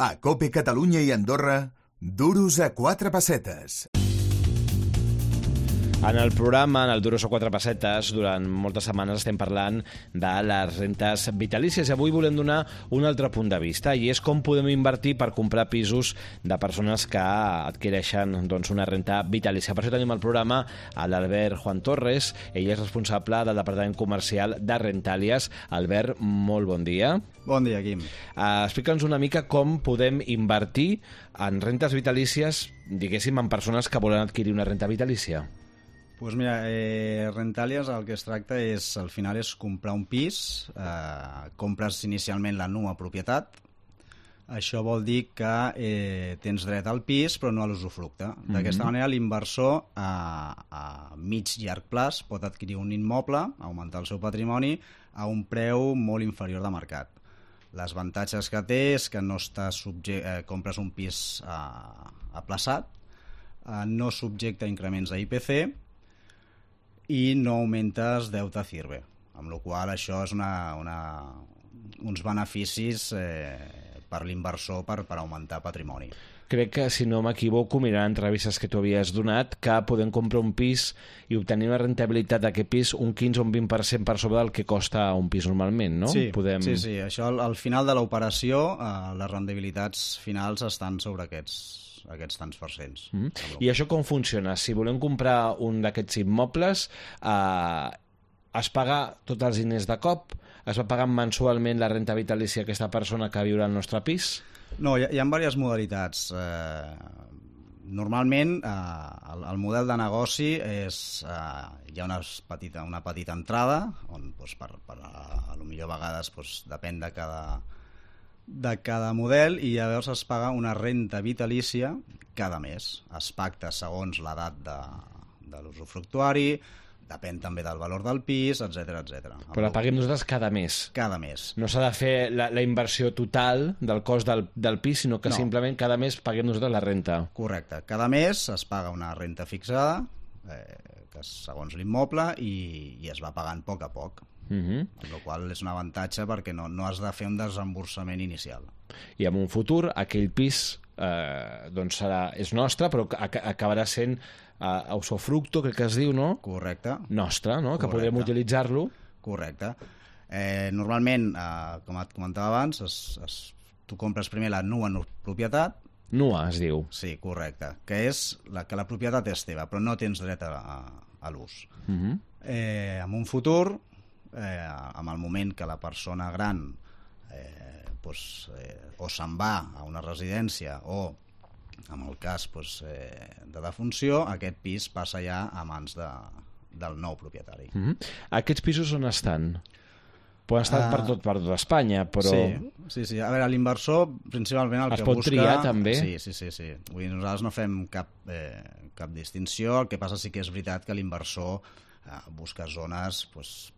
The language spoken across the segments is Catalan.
A COPE Catalunya i Andorra, duros a 4 pessetes. En el programa, en el Duros o 4 pessetes, durant moltes setmanes estem parlant de les rentes vitalícies i avui volem donar un altre punt de vista i és com podem invertir per comprar pisos de persones que adquireixen una renta vitalícia. Per això tenim al programa a l'Albert Juan Torres, ell és responsable del Departament Comercial de Rentàlies. Albert, molt bon dia. Bon dia, Quim. Explica'ns una mica com podem invertir en rentes vitalícies, diguéssim, en persones que volen adquirir una renta vitalícia. Doncs mira, Rentàlies el que es tracta és, al final, és comprar un pis, compres inicialment la nua propietat, això vol dir que tens dret al pis però no a l'usufructe. D'aquesta manera l'inversor a mig llarg plaç pot adquirir un immoble, augmentar el seu patrimoni a un preu molt inferior de mercat. Les avantatges que té és que no compres un pis aplaçat, no subjecta a increments a IPC i no augmentes deute a CIRBE, amb la qual cosa això és uns beneficis per l'inversor per augmentar patrimoni. Crec que, si no m'equivoco, mirant entrevistes que tu havies donat, que podem comprar un pis i obtenir una rentabilitat d'aquest pis un 15 o un 20% per sobre del que costa un pis normalment, no? Sí, sí. Això al final de l'operació, les rendibilitats finals estan sobre aquests tants percents. I això com funciona? Si volem comprar un d'aquests immobles, es paga tots els diners de cop? Es va pagant mensualment la renta vitalícia a aquesta persona que viurà al nostre pis? No, hi ha diverses modalitats. Normalment, el model de negoci és hi ha una petita entrada, on a lo millor a vegades depèn de cada model, i llavors es paga una renta vitalícia cada mes. Es pacta segons l'edat de l'usufructuari, depèn també del valor del pis, etc. Però la paguem nosaltres cada mes? Cada mes. No s'ha de fer la inversió total del cost del pis, sinó que simplement cada mes paguem nosaltres la renta. Correcte. Cada mes es paga una renta fixada, que és segons l'immoble, i es va pagant a poc. Amb la qual és un avantatge perquè no has de fer un desemborsament inicial. I en un futur aquell pis és nostre, però acabarà sent usufructo, crec que es diu, no? Correcte. Nostre, no? Que podrem utilitzar-lo. Correcte. Normalment, com et comentava abans, tu compres primer la nua propietat. Nua, es diu. Sí, correcte. Que és que la propietat és teva, però no tens dret a l'ús. En un futur, en el moment que la persona gran o se'n va a una residència o, en el cas de defunció, aquest pis passa ja a mans del nou propietari. Aquests pisos on estan? Poden estar per tot Espanya, però... Sí. A veure, l'inversor principalment el que busca... Es pot triar, també? Sí. Vull dir, nosaltres no fem cap distinció. El que passa sí que és veritat que l'inversor busca zones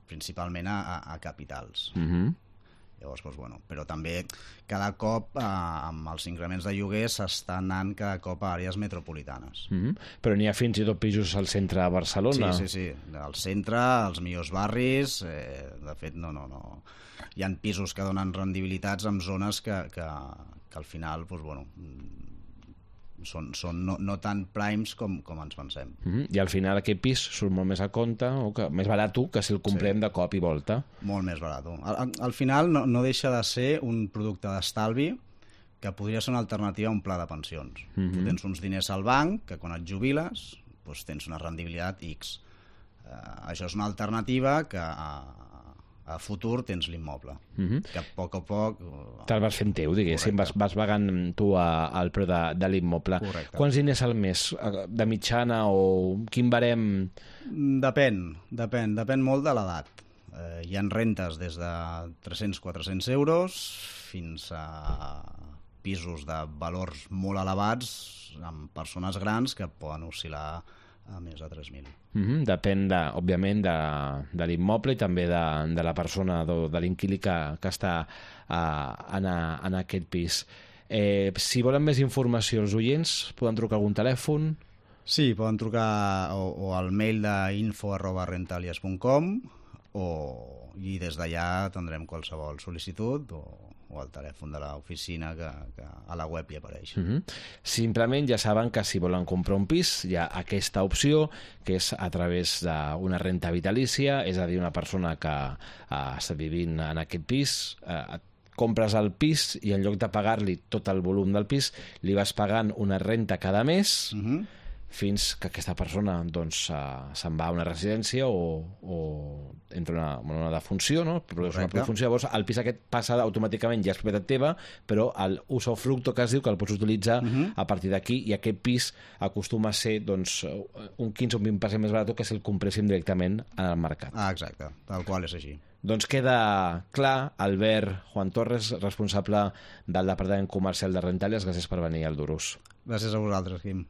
principalment a capitals. Llavors, però també cada cop amb els increments de lloguer s'estan anant cada cop a àrees metropolitanes. Però n'hi ha fins i tot pisos al centre de Barcelona? Sí. Al centre, als millors barris, de fet, no. Hi ha pisos que donen rendibilitats en zones que al final, són no tan primes com ens pensem. I al final aquest pis surt molt més a compte, o més barat que si el comprem de cop i volta. Molt més barat. Al final no deixa de ser un producte d'estalvi que podria ser una alternativa a un pla de pensions. Tu tens uns diners al banc que quan et jubiles tens una rendibilitat X. Això és una alternativa que a futur tens l'immoble, que a poc te'l vas fent teu, diguéssim. Vas pagant tu el preu de l'immoble. Correcte. Quants diners al mes de mitjana, o quin barem? Depèn molt de l'edat. Hi ha rentes des de 300-400 euros fins a pisos de valors molt elevats amb persones grans que poden oscil·lar a més de 3.000. Depèn, òbviament, de l'immoble i també de la persona, de l'inquilí que està en aquest pis. Si volen més informació, els oients poden trucar a algun telèfon? Sí, poden trucar o al mail d'info@rentalies.com i des d'allà tindrem qualsevol sol·licitud o o al telèfon de l'oficina que a la web hi apareix. Simplement ja saben que si volen comprar un pis hi ha aquesta opció, que és a través d'una renta vitalícia, és a dir, una persona que està vivint en aquest pis, compres el pis i en lloc de pagar-li tot el volum del pis, li vas pagant una renta cada mes, fins que aquesta persona doncs, se'n va a una residència o entra una defunció, no? Però és una defunció, llavors el pis aquest passa automàticament, ja és propietat teva, però el usufructo que es diu, que el pots utilitzar a partir d'aquí, i aquest pis acostuma a ser doncs, un 15 o un 20% més barat que si el compréssim directament en el mercat. Exacte, tal qual és així. Doncs queda clar. Albert Juan Torres, responsable del Departament Comercial de Rentàlies, gràcies per venir al Duros. Gràcies a vosaltres, Quim.